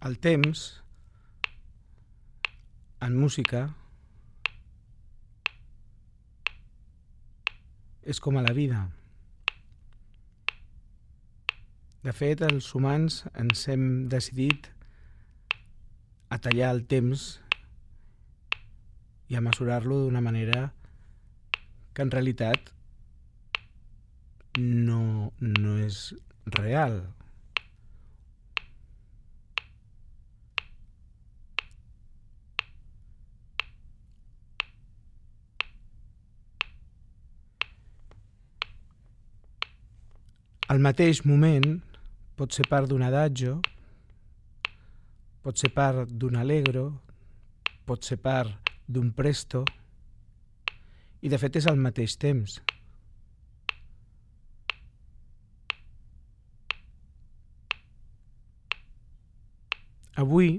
El temps, en música, és com a la vida. De fet, els humans ens hem decidit a tallar el temps i a mesurar-lo d'una manera que en realitat no és real. El mateix moment pot ser part d'un adagio, pot ser part d'un allegro, pot ser part d'un presto, i de fet és al mateix temps. Avui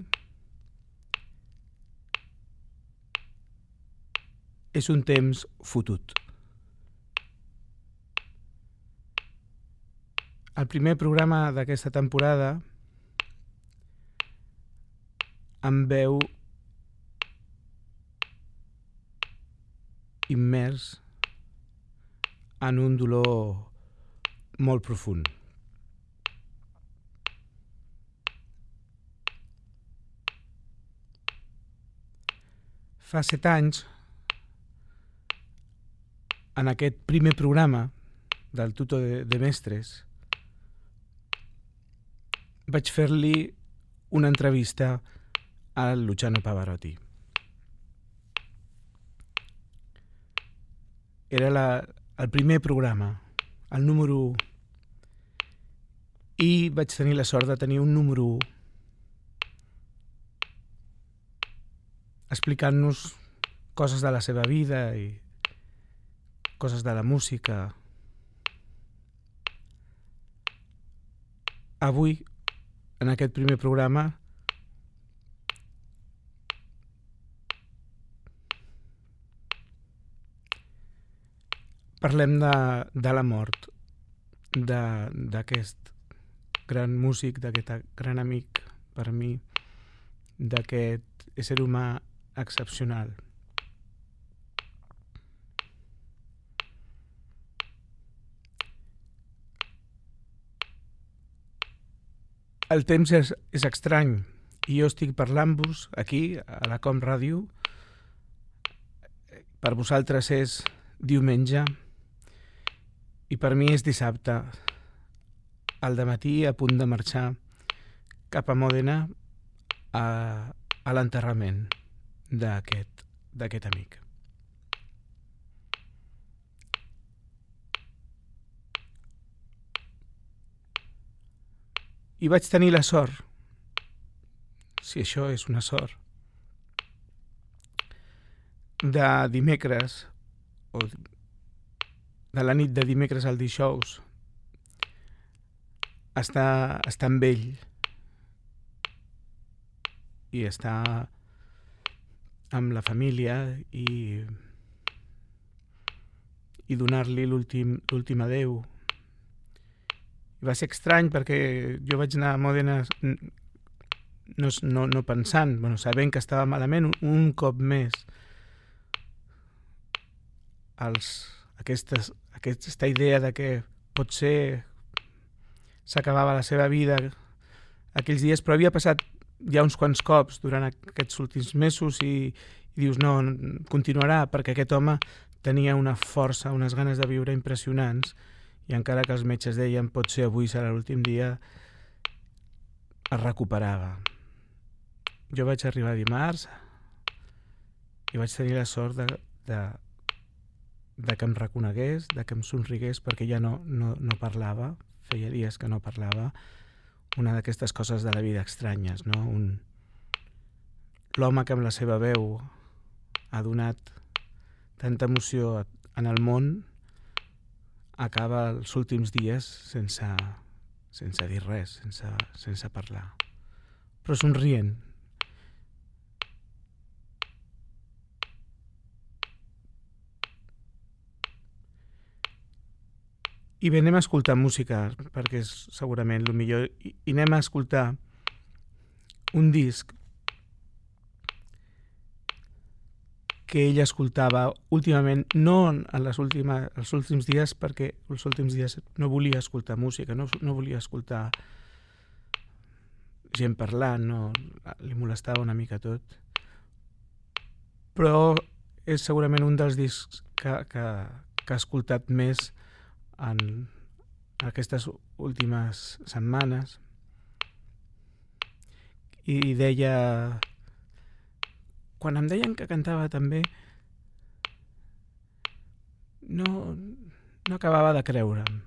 és un temps fotut. El primer programa d'aquesta temporada em veu immers en un dolor molt profund. Fa 7 anys, en aquest primer programa del Tuto de Mestres, vaig fer-li una entrevista a Luciano Pavarotti. Era el primer programa, el número 1, i vaig tenir la sort de tenir un número 1 explicant-nos coses de la seva vida i coses de la música. Avui, en aquest primer programa, parlem de la mort d'aquest gran músic, d'aquest gran amic per mi, d'aquest ésser humà excepcional. El temps és estrany i jo estic parlant-vos aquí a la Com Ràdio. Per vosaltres és diumenge i per mi és dissabte, al dematí, a punt de marxar cap a Mòdena a l'enterrament d'aquest amic. I vaig tenir la sort, si això és una sort, de dimecres, o de la nit de dimecres al dijous, estar amb ell i estar amb la família i donar-li l'últim adeu. I va ser estrany perquè jo vaig anar a Mòdena no pensant, sabent que estava malament un cop més. Aquesta idea de que potser s'acabava la seva vida aquells dies, però havia passat ja uns quants cops durant aquests últims mesos i dius, no, continuarà, perquè aquest home tenia una força, unes ganes de viure impressionants, i encara que els metges deien potser avui serà l'últim dia, es recuperava. Jo vaig arribar dimarts i vaig tenir la sort de que em reconegués, de que em somrigués, perquè ja no parlava, feia dies que no parlava. Una d'aquestes coses de la vida estranyes, no? L'home que amb la seva veu ha donat tanta emoció en el món acaba els últims dies sense dir res, sense parlar, però somrient. I bé, anem a escoltar música, perquè és segurament el millor, i anem a escoltar un disc que ell escoltava últimament, no en els últims dies, perquè els últims dies no volia escoltar música, no volia escoltar gent parlant, no, li molestava una mica tot. Però és segurament un dels discs que ha escoltat més en aquestes últimes setmanes. I deia... Quan em deien que cantava també, no acabava de creure'm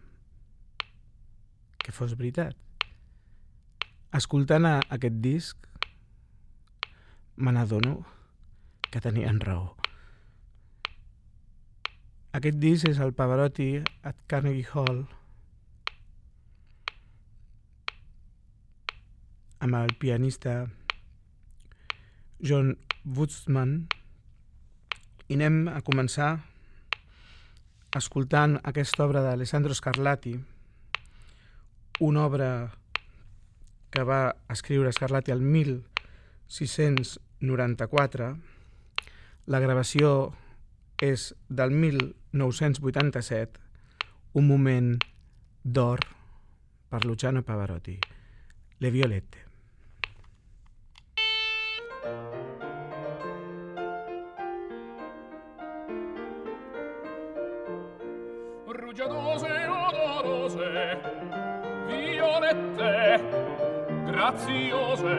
que fos veritat. Escoltant aquest disc, me n'adono que tenien raó. Aquest disc és el Pavarotti at Carnegie Hall, amb el pianista John Woodsman, i anem a començar escoltant aquesta obra d'Alessandro Scarlatti, una obra que va escriure Scarlatti el 1694. La gravació és del 1987, un moment d'or per Luciano Pavarotti, Le Violette. Rugiadose, odorose, violette, graziose,